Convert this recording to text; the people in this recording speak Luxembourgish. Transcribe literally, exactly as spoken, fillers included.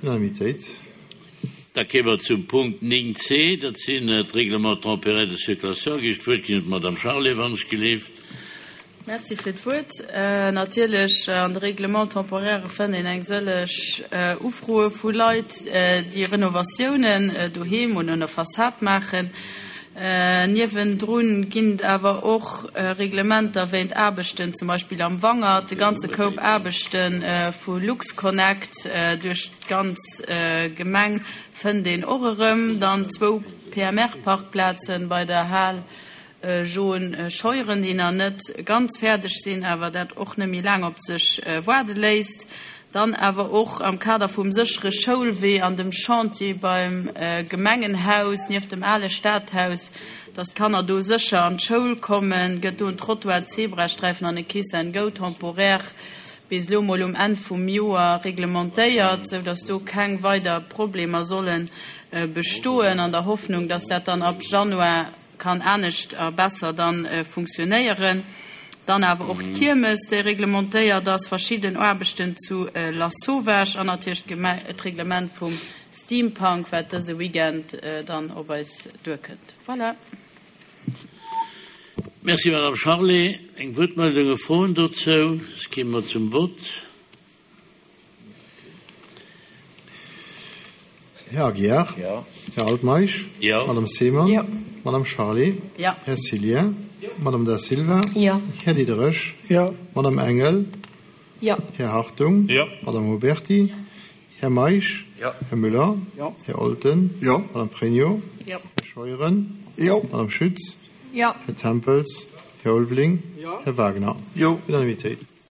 Unanimitéit. Da kéime mer zum Punkt néng C, dat sinn d'Règlements temporaires de circulation. Géif ech d'Wuert ginn un d'Madame Charlé, wann ech gelift. Merci fir d'Wuert. Natierlech, an de Règlements temporaires fënnt een eng sëlleg Ufroe vu Leit, déi Renovatiounen doheem oder un der Fassad maachen. Niewendrun ginn et awer och Reglementer wéint Aarbechten, zum Beispill am Wangert, de ganze Koup Aarbechte vu LuxConnect duerch d'ganz Gemeng fënnt een och erëm. Dann zwou P M R-Parkplazen bei der Hal Joen Scheuren, déi nach net ganz fäerdeg sinn, awer dat och net méi laang op sech waarde léisst. Dann awer och am Kader vum séchere Schoulwee an dem Chantier beim Gemengenhaus nieft dem ale Stadhaus, dass d'Kanner do sécher an d'Schoul kommen, gëtt do en Trottoir, Zebrasträifen an e Kiss and Go temporaire bis elo mol um Enn vum Joer reglementéiert, sou dass do keng weider Problemer solle bestoen, an der Hoffnung, dass dat dann ab Januar kann anescht a besser dann funktionéieren. Dann awer och d'Kiermes, déi reglementéiert ass, verschidden Aarbechten zu Lasauvage an natierlech d'Reglement vum Steampunk, wat dëse Weekend dann op eis duerkënnt. Voilà. Merci, Madame Charlé. Eng Wuertmeldung, e Froen dozou? Soss gi mer zum Vott. Här Aguiar? Jo. Här Altmeisch? Jo. Madame Seemann? Jo. Madame Charlé? Jo. Här Cillien? Jo. Madame Da Silva? Jo. Här Diderich? Jo. Madame Engel? Jo. Här Hartung? Jo. Madame Oberti? Här Meisch? Jo. Här Müller? Jo. Här Olten? Jo. Madame Pregno? Jo. Här Scheuren? Jo. Madame Schütz? Jo. Här Tempels? Här Ulveling? Jo. Här Wagner? Jo. Unanimitéit.